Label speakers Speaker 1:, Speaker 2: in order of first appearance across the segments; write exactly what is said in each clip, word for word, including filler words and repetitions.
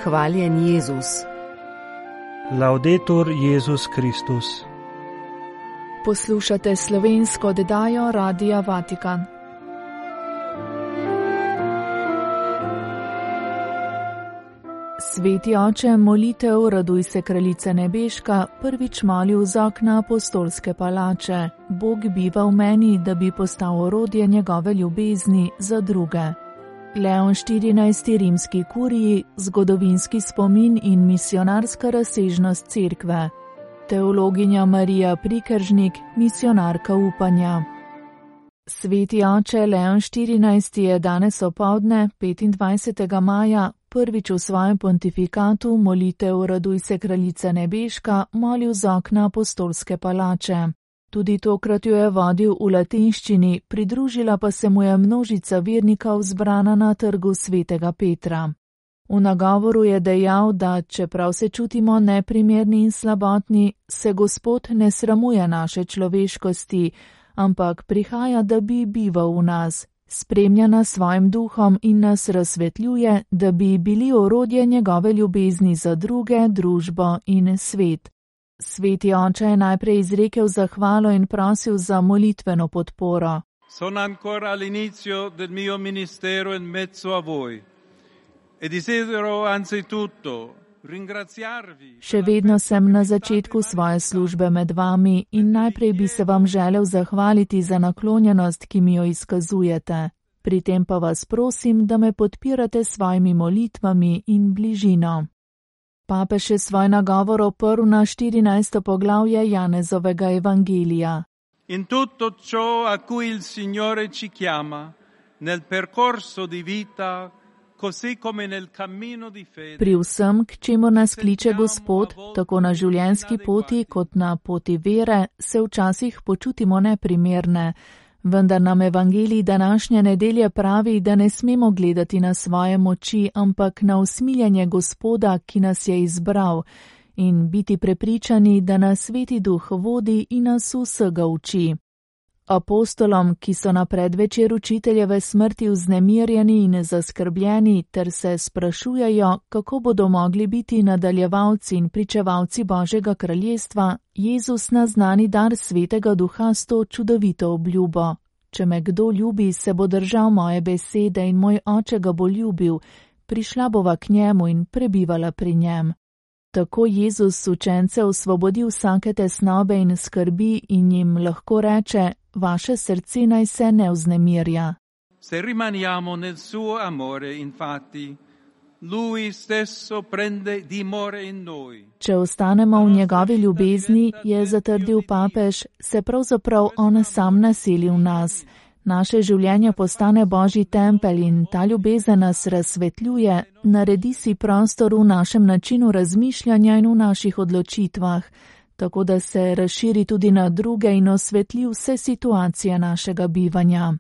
Speaker 1: Hvaljen Jezus.
Speaker 2: Laudetur Jezus Kristus.
Speaker 3: Poslušate slovensko oddajo Radia Vatikan. Sveti oče, molitev Raduj se, kraljica nebeška, prvič molil z okna apostolske palače. Bog biva v meni, da bi postal orodje njegove ljubezni za druge. Leon štirinajsti rimski kuriji, zgodovinski spomin in misionarska razsežnost cerkve. Teologinja Marija Prikeržnik, misionarka upanja. Sveti oče Leon štirinajsti je danes opoldne, petindvajsetega maja, prvič v svojem pontifikatu molitev Raduj se, kraljica nebeška, molil z okna apostolske palače. Tudi tokrat jo je vodil v latinščini, pridružila pa se mu je množica vernikov zbrana na trgu svetega Petra. V nagovoru je dejal, da čeprav se čutimo neprimerni in slabotni, se Gospod ne sramuje naše človeškosti, ampak prihaja, da bi bival v nas, spremlja nas svojim duhom in nas razsvetljuje, da bi bili orodje njegove ljubezni za druge, družbo in svet. Sveti oče je najprej izrekel zahvalo in prosil za molitveno podporo.
Speaker 4: Sono ancora all'inizio del mio ministero in mezzo a voi e desidero anzitutto ringraziarvi.
Speaker 3: Še vedno sem na začetku svoje službe med vami in najprej bi se vam želel zahvaliti za naklonjenost, ki mi jo izkazujete. Pri tem pa vas prosim, da me podpirate s svojimi molitvami in bližino. Papež je svoj nagovor oprl na štirinajsto poglavje Janezovega evangelija.
Speaker 4: In tutto ciò a cui il Signore ci chiama, nel percorso di vita, così come nel cammino di fede. Pri vsem, k čemur nas kliče Gospod, tako na življenjski poti kot na poti vere, se včasih počutimo neprimerne. Vendar nam evangelij današnje nedelje pravi, da ne smemo gledati na svoje moči, ampak na usmiljenje Gospoda, ki nas je izbral, in biti prepričani, da nas Sveti Duh vodi in nas vsega uči. Apostolom, ki so na predvečer učiteljeve smrti vznemirjeni in zaskrbljeni ter se sprašujejo, kako bodo mogli biti nadaljevalci in pričevalci Božjega kraljestva, Jezus naznani dar Svetega Duha s to čudovito obljubo. Če me kdo ljubi, se bo držal moje besede in moj oče ga bo ljubil, prišla bova k njemu in prebivala pri njem. Tako Jezus učence osvobodi vsake tesnobe in skrbi in jim lahko reče, vaše srce naj se ne vznemirja. Se rimaniamo nel suo amore, infatti, lui stesso prende dimore in noi.
Speaker 3: Če ostanemo v njegovi ljubezni, je zatrdil papež, se pravzaprav on sam naseli v nas. Naše življenje postane Božji tempelj in ta ljubezen nas razsvetljuje, naredi si prostor v našem načinu razmišljanja in v naših odločitvah, tako da se razširi tudi na druge in osvetli vse situacije našega bivanja.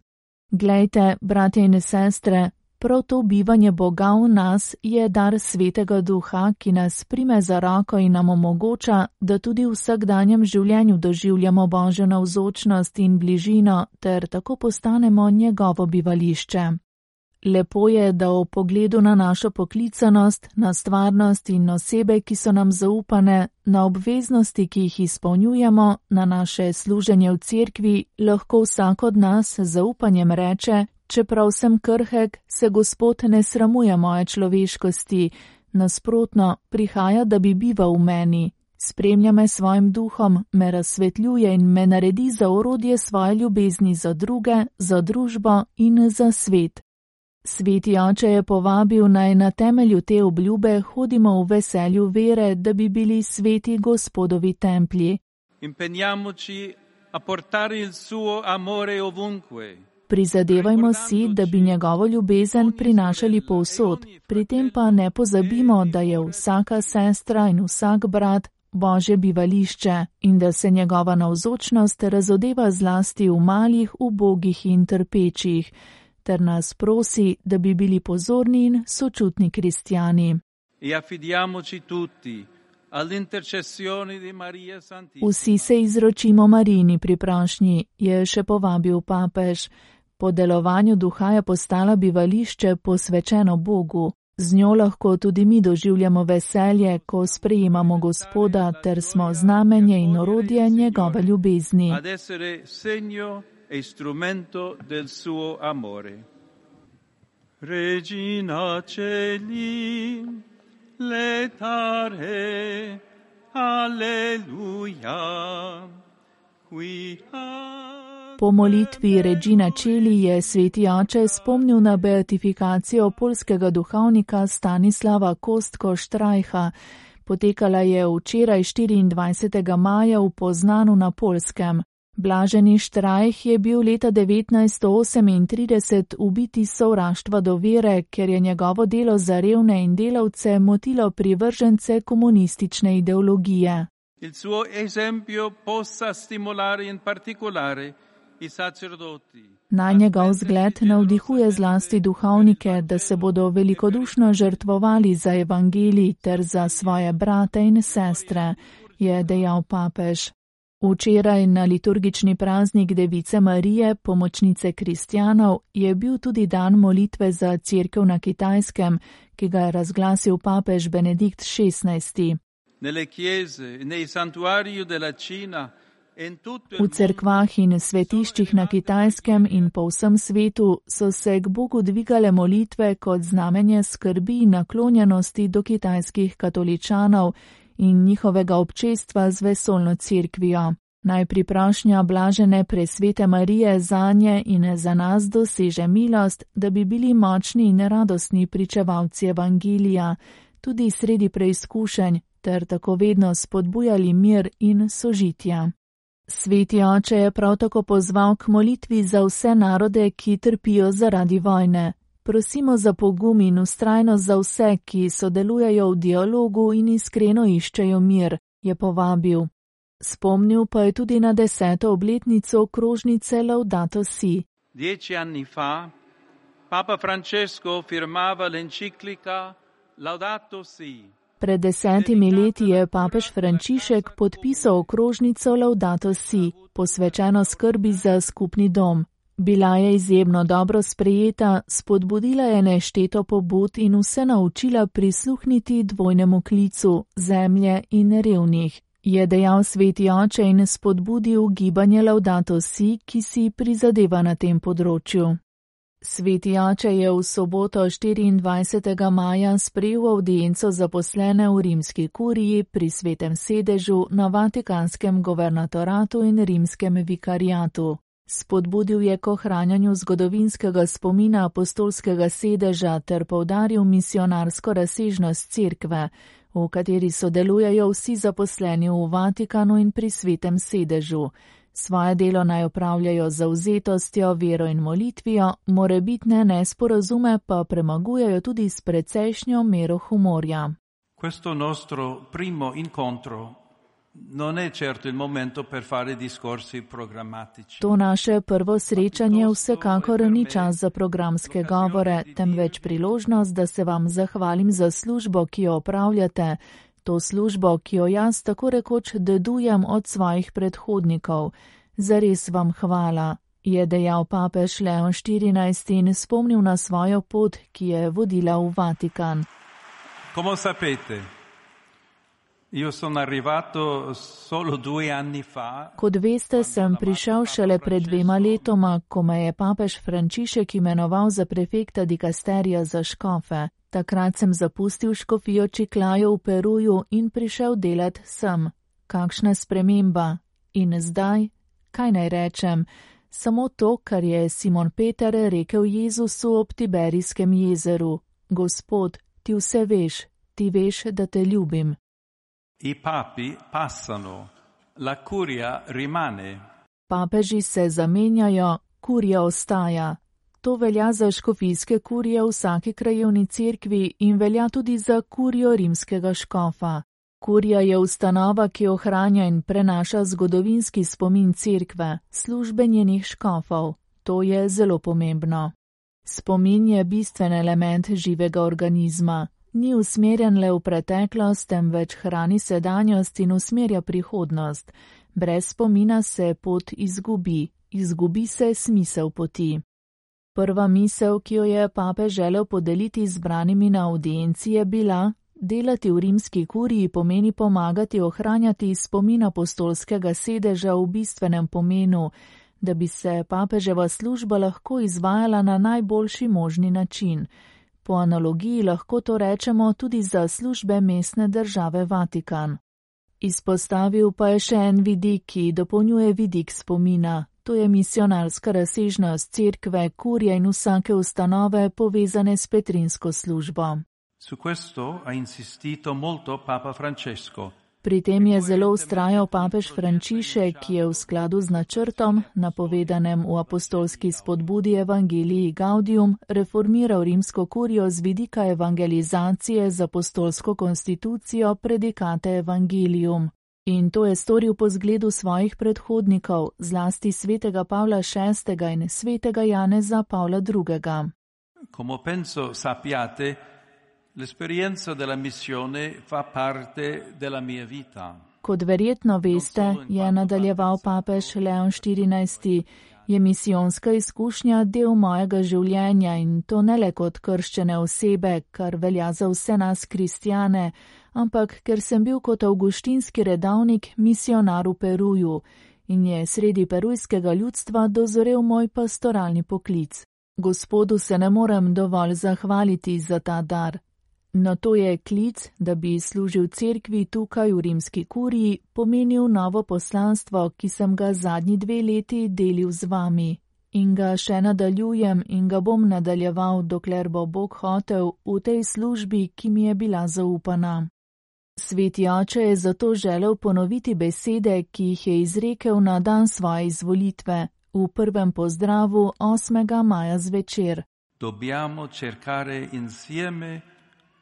Speaker 3: Glejte, bratje in sestre, prav to bivanje Boga v nas je dar Svetega Duha, ki nas prime za roko in nam omogoča, da tudi v vsakdanjem življenju doživljamo Božjo navzočnost in bližino ter tako postanemo njegovo bivališče. Lepo je, da o pogledu na našo poklicanost, na stvarnost in osebe, ki so nam zaupane, na obveznosti, ki jih izpolnjujemo, na naše služenje v cerkvi, lahko vsak od nas z zaupanjem reče, čeprav sem krhek, se Gospod ne sramuje moje človeškosti, nasprotno, prihaja, da bi bival v meni. Spremlja me svojim duhom, me razsvetljuje in me naredi za orodje svoje ljubezni za druge, za družbo in za svet. Sveti oče je povabil naj na temelju te obljube hodimo v veselju vere, da bi bili sveti Gospodovi templji.
Speaker 4: Impegniamoci a portare il suo amore ovunque.
Speaker 3: Prizadevajmo si, da bi njegovo ljubezen prinašali povsod, pri tem pa ne pozabimo, da je vsaka sestra in vsak brat Božje bivališče in da se njegova navzočnost razodeva zlasti v malih, ubogih in trpečih, ter nas prosi, da bi bili pozorni in sočutni kristjani.
Speaker 4: E affidiamoci tutti all'intercessione di Maria Santissima.
Speaker 3: Vsi se izročimo Marijini pri prošnji, je še povabil papež. Po delovanju duha je postala bivališče posvečeno Bogu. Z njo lahko tudi mi doživljamo veselje, ko sprejemamo Gospoda, ter smo znamenje in orodje njegove ljubezni.
Speaker 4: Regina Celi, letare, alleluia, qui
Speaker 3: Po molitvi Regina Celi je sveti oče spomnil na beatifikacijo poljskega duhovnika Stanislava Kostko-Štrajcha. Potekala je včeraj štiriindvajsetega maja v Poznanu na Poljskem. Blaženi Štrajch je bil leta devetnajststo osemintrideset ubit iz sovraštva do vere, ker je njegovo delo za revne in delavce motilo privržence komunistične ideologije.
Speaker 4: Il suo esempio possa stimolare in particolare i sacerdoti.
Speaker 3: Naj njegov zgled navdihuje zlasti duhovnike, da se bodo velikodušno žrtvovali za evangelij ter za svoje brate in sestre, je dejal papež. Včeraj na liturgični praznik Device Marije, pomočnice kristjanov, je bil tudi dan molitve za cerkev na Kitajskem, ki ga je razglasil papež Benedikt šestnajsti. V cerkvah in svetiščih na Kitajskem in po vsem svetu so se k Bogu dvigale molitve kot znamenje skrbi in naklonjenosti do kitajskih katoličanov in njihovega občestva z vesoljno cerkvijo. Naj priprošnja blažene presvete Marije zanje in za nas doseže milost, da bi bili močni in radostni pričevalci evangelija, tudi sredi preizkušenj, ter tako vedno spodbujali mir in sožitja. Sveti oče je prav tako pozval k molitvi za vse narode, ki trpijo zaradi vojne. Prosimo za pogum in vztrajnost za vse, ki sodelujejo v dialogu in iskreno iščejo mir, je povabil. Spomnil pa je tudi na deseto obletnico krožnice Laudato Si.
Speaker 4: Dieci anni fa, Papa Francesco firmava l'enciclica Laudato Si.
Speaker 3: Pred desetimi leti je papež Frančišek podpisal okrožnico Laudato Si, posvečeno skrbi za skupni dom. Bila je izjemno dobro sprejeta, spodbudila je nešteto pobud in vse naučila prisluhniti dvojnemu klicu zemlje in revnih, je dejal sveti oče in spodbudil gibanje Laudato Si, ki si prizadeva na tem področju. Sveti oče je v soboto štiriindvajsetega maja sprejel avdienco zaposlene v rimski kuriji pri svetem sedežu na Vatikanskem guvernatoratu in rimskem vikariatu. Spodbudil je k ohranjanju zgodovinskega spomina apostolskega sedeža ter poudaril misionarsko razsežnost cerkve, v kateri sodelujejo vsi zaposleni v Vatikanu in pri svetem sedežu. Svoje delo naj opravljajo z zavzetostjo, vero in molitvijo, morebitne nesporazume pa premagujejo tudi s precejšnjo mero humorja.
Speaker 4: Questo nostro primo incontro non è certo il momento per fare discorsi programmatici.
Speaker 3: To naše prvo srečanje vsekakor ni čas za programske govore, temveč priložnost, da se vam zahvalim za službo, ki jo opravljate, to službo, ki jo jaz tako rekoč dedujem od svojih predhodnikov. Zares vam hvala, je dejal papež Leon štirinajsti in spomnil na svojo pot, ki je vodila v Vatikan.
Speaker 4: Come sapete, io sono arrivato solo due anni fa.
Speaker 3: Kot veste, sem prišel šele pred dvema letoma, ko me je papež Frančišek imenoval za prefekta dikasterija za škofe. Takrat sem zapustil škofijo Čiclayo v Peruju in prišel delat sem. Kakšna sprememba? In zdaj? Kaj naj rečem? Samo to, kar je Simon Peter rekel Jezusu ob Tiberijskem jezeru. Gospod, ti vse veš, ti veš, da te ljubim.
Speaker 4: I papi passano, la curia rimane.
Speaker 3: Papeži se zamenjajo, kurija ostaja. To velja za škofijske kurije v vsaki krajevni cerkvi in velja tudi za kurijo rimskega škofa. Kurija je ustanova, ki ohranja in prenaša zgodovinski spomin cerkve, službe njenih škofov. To je zelo pomembno. Spomin je bistven element živega organizma. Ni usmerjen le v preteklost, temveč hrani sedanjost in usmerja prihodnost. Brez spomina se pot izgubi, izgubi se smisel poti. Prva misel, ki jo je papež želel podeliti zbranimi na audienci, je bila: delati v rimski kuriji pomeni pomagati ohranjati spomin apostolskega sedeža v bistvenem pomenu, da bi se papeževa služba lahko izvajala na najboljši možni način. Po analogiji lahko to rečemo tudi za službe mestne države Vatikan. Izpostavil pa je še en vidik, ki dopolnjuje vidik spomina. To je misionarska razsežnost cerkve, kurje in vsake ustanove povezane s petrinsko službo.
Speaker 4: Su questo ha insistito molto Papa Francesco.
Speaker 3: Pri tem je zelo vztrajal papež Frančišek, ki je v skladu z načrtom, napovedanem v apostolski spodbudi Evangelii Gaudium, reformiral rimsko kurijo z vidika evangelizacije z apostolsko konstitucijo Predikate Evangelium. In to je storil po zgledu svojih predhodnikov, zlasti svetega Pavla šestega in svetega Janeza Pavla drugega.
Speaker 4: Come penso sappiate, l'esperienza della missione fa parte della mia vita.
Speaker 3: Kot verjetno veste, je nadaljeval papež Leon štirinajsti, je misijonska izkušnja del mojega življenja in to ne le kot krščene osebe, kar velja za vse nas kristjane, ampak ker sem bil kot avguštinski redavnik misionar v Peruju in je sredi perujskega ljudstva dozorel moj pastoralni poklic. Gospodu se ne morem dovolj zahvaliti za ta dar. No, to je klic, da bi služil cerkvi tukaj v rimski kuriji, pomenil novo poslanstvo, ki sem ga zadnji dve leti delil z vami. In ga še nadaljujem in ga bom nadaljeval, dokler bo Bog hotel v tej službi, ki mi je bila zaupana. Sveti oče je zato želel ponoviti besede, ki jih je izrekel na dan svoje izvolitve, v prvem pozdravu osmega maja zvečer.
Speaker 4: Dobbiamo cercare insieme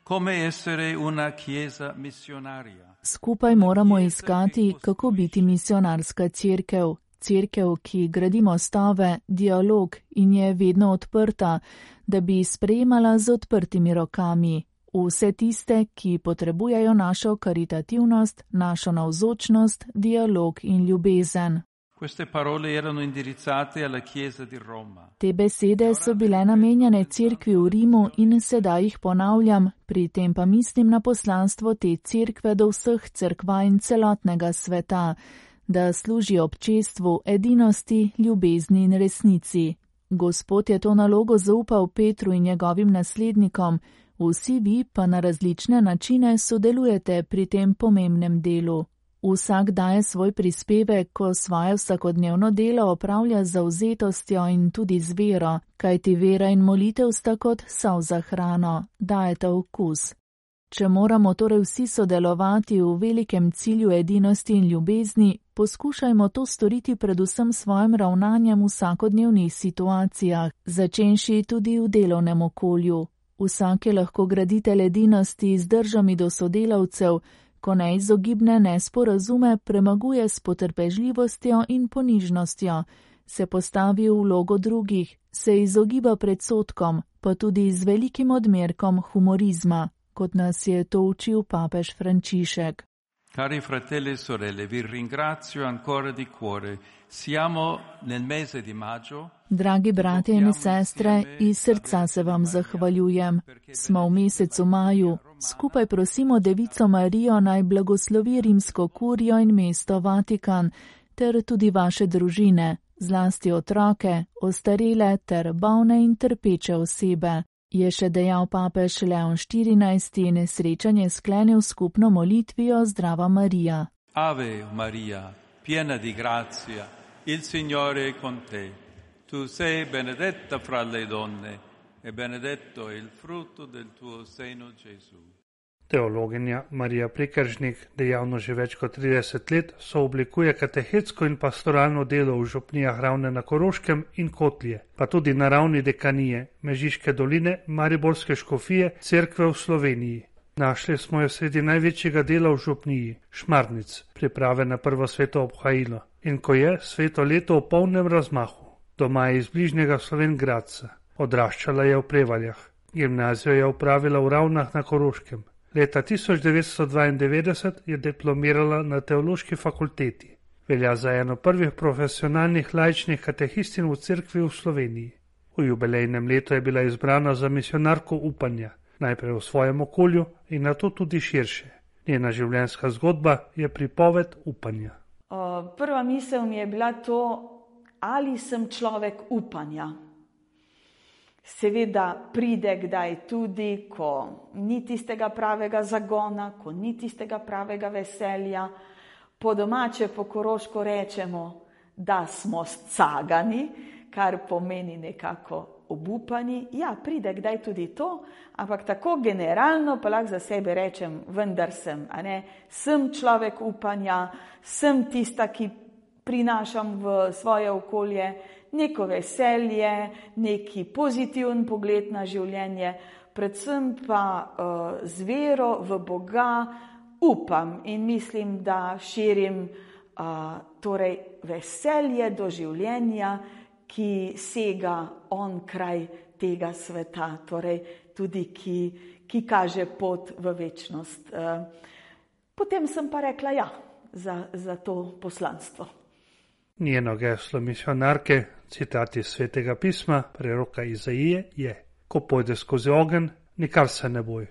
Speaker 4: come essere una chiesa missionaria.
Speaker 3: Skupaj moramo iskati, kako biti misionarska cerkev, cerkev, ki gradi mostove, dialog in je vedno odprta, da bi sprejemala z odprtimi rokami vse tiste, ki potrebujejo našo karitativnost, našo navzočnost, dialog in ljubezen.
Speaker 4: Queste parole erano indirizzate alla Chiesa di Roma.
Speaker 3: Te besede so bile namenjene cerkvi v Rimu in sedaj jih ponavljam, pri tem pa mislim na poslanstvo te cerkve do vseh cerkva in celotnega sveta, da služi občestvu, edinosti, ljubezni in resnici. Gospod je to nalogo zaupal Petru in njegovim naslednikom, vsi vi pa na različne načine sodelujete pri tem pomembnem delu. Vsak daje svoj prispevek, ko svoje vsakodnevno delo opravlja z zavzetostjo in tudi z vero, kajti vera in molitev sta kot sol za hrano, dajeta okus. Če moramo torej vsi sodelovati v velikem cilju edinosti in ljubezni, poskušajmo to storiti predvsem svojim ravnanjem v vsakodnevnih situacijah, začenši tudi v delovnem okolju. Vsak je lahko graditelj edinosti z držami do sodelavcev, ko neizogibne nesporazume premaguje s potrpežljivostjo in ponižnostjo, se postavi v vlogo drugih, se izogiba predsodkom, pa tudi z velikim odmerkom humorizma, kot nas je to učil papež Frančišek.
Speaker 4: Cari fratelli e sorelle, vi ringrazio ancora di cuore. Siamo nel mese di maggio.
Speaker 3: Dragi bratje in sestre, iz srca se vam zahvaljujem. Smo v mesecu maju. Skupaj prosimo Devico Marijo naj blagoslovi rimsko kurijo in mesto Vatikan, ter tudi vaše družine, zlasti otroke, ostarele ter bolne in trpeče osebe. Je še dejal papež Leon štirinajsti in srečanje sklenil skupno molitvijo Zdrava Marija.
Speaker 4: Ave Maria, piena di grazia, il Signore è con te. Tu sei benedetta fra le donne e benedetto è il frutto del tuo seno Gesù.
Speaker 1: Teologinja Marija Prekeržnik, dejavno že več kot trideset let, sooblikuje katehetsko in pastoralno delo v župnijah Ravne na Koroškem in Kotlje, pa tudi na ravni dekanije Mežiške doline, Mariborske škofije, cerkve v Sloveniji. Našli smo jo sredi največjega dela v župniji, Šmarnic, priprave na prvo sveto obhajilo, in ko je sveto leto v polnem razmahu. Doma je iz bližnjega Slovenj Gradca, odraščala je v Prevaljah, gimnazijo je opravila v Ravnah na Koroškem. Leta tisoč devetsto dvaindevetdeset je diplomirala na teološki fakulteti. Velja za eno prvih profesionalnih laičnih katehistin v cerkvi v Sloveniji. V jubilejnem letu je bila izbrana za misionarko upanja, najprej v svojem okolju in nato tudi širše. Njena življenjska zgodba je pripoved upanja.
Speaker 2: Prva misel mi je bila to, ali sem človek upanja. Seveda pride kdaj tudi, ko ni tistega pravega zagona, ko ni tistega pravega veselja. Po domače, po koroško rečemo, da smo scagani, kar pomeni nekako obupani. Ja, pride kdaj tudi to, ampak tako generalno pa lahko za sebe rečem, vendar sem, a ne, sem človek upanja, sem tista, ki prinašam v svoje okolje neko veselje, neki pozitiven pogled na življenje, predvsem pa uh, z vero v Boga upam in mislim, da širim uh, torej veselje do življenja, ki sega on kraj tega sveta, torej tudi ki, ki kaže pot v večnost. Uh, potem sem pa rekla ja za, za to poslanstvo.
Speaker 1: Njeno geslo misionarke, citat iz Svetega pisma, preroka Izaije, je: ko pojde skozi ogenj, nikar se ne boj.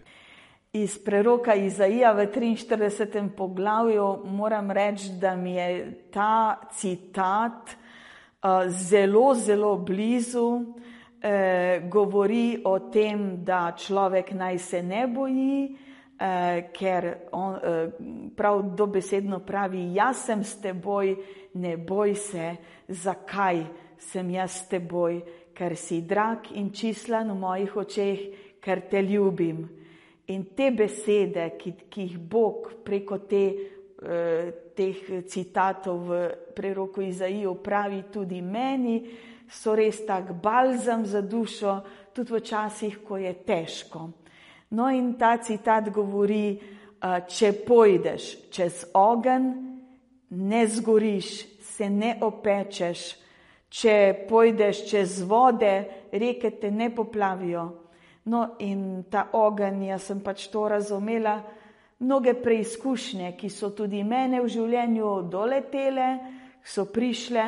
Speaker 2: Iz preroka Izaija v triinštiridesetem poglavju moram reči, da mi je ta citat uh, zelo, zelo blizu. Uh, govori o tem, da človek naj se ne boji, uh, ker on uh, prav dobesedno pravi, jaz sem s teboj, ne boj se. Zakaj sem jaz s teboj? Ker si drag in čislan v mojih očeh, ker te ljubim. In te besede, ki, ki jih Bog preko te, eh, teh citatov v preroku Izaiju pravi tudi meni, so res tak balzam za dušo, tudi v časih, ko je težko. No in ta citat govori, eh, če pojdeš čez ogenj, ne zgoriš, se ne opečeš, če pojdeš čez vode, reke te ne poplavijo. No in ta ogenj, jaz sem pač to razumela, mnoge preizkušnje, ki so tudi mene v življenju doletele, so prišle,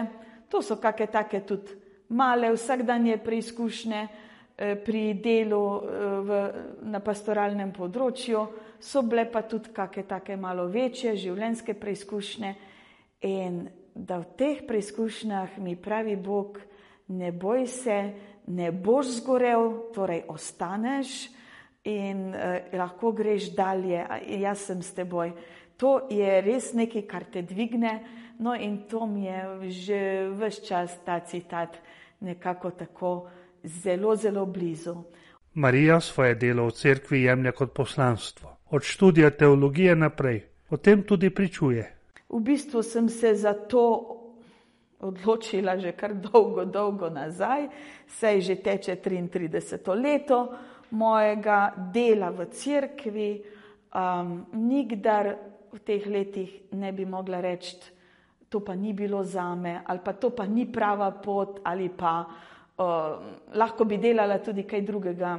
Speaker 2: to so kakšne take tudi male vsakdanje preizkušnje pri delu v, na pastoralnem področju, so bile pa tudi kakšne take malo večje življenjske preizkušnje in da v teh preizkušnjah mi pravi Bog, ne boj se, ne boš zgorel, torej ostaneš in eh, lahko greš dalje, jaz sem s teboj. To je res nekaj, kar te dvigne, no in to mi je že ves čas ta citat nekako tako zelo, zelo blizu.
Speaker 1: Marija svoje delo v cerkvi jemlje kot poslanstvo. Od študija teologije naprej. O tem tudi pričuje.
Speaker 2: V bistvu sem se za to odločila že kar dolgo, dolgo nazaj, saj že teče triintrideseto leto mojega dela v cerkvi. Um, nikdar v teh letih ne bi mogla reči, to pa ni bilo zame, ali pa to pa ni prava pot, ali pa uh, lahko bi delala tudi kaj drugega.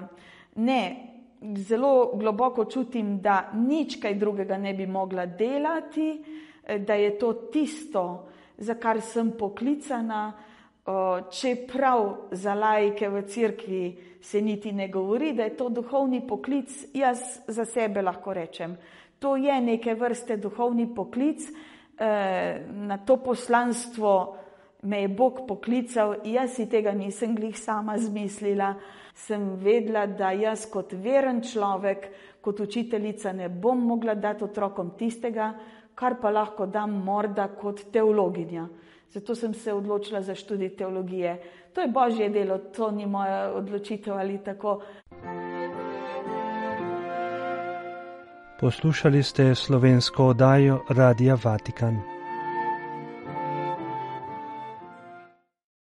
Speaker 2: Ne, zelo globoko čutim, da nič kaj drugega ne bi mogla delati, da je to tisto, za kar sem poklicana, čeprav za laike v cerkvi se niti ne govori, da je to duhovni poklic, jaz za sebe lahko rečem. To je neke vrste duhovni poklic, na to poslanstvo me je Bog poklical, jaz si tega nisem glih sama zmislila, sem vedela, da jaz kot veren človek, kot učiteljica ne bom mogla dati otrokom tistega, kar pa lahko dam morda kot teologinja. Zato sem se odločila za študij teologije. To je Božje delo, to ni moja odločitev ali tako.
Speaker 1: Poslušali ste slovensko oddajo Radia Vatikan.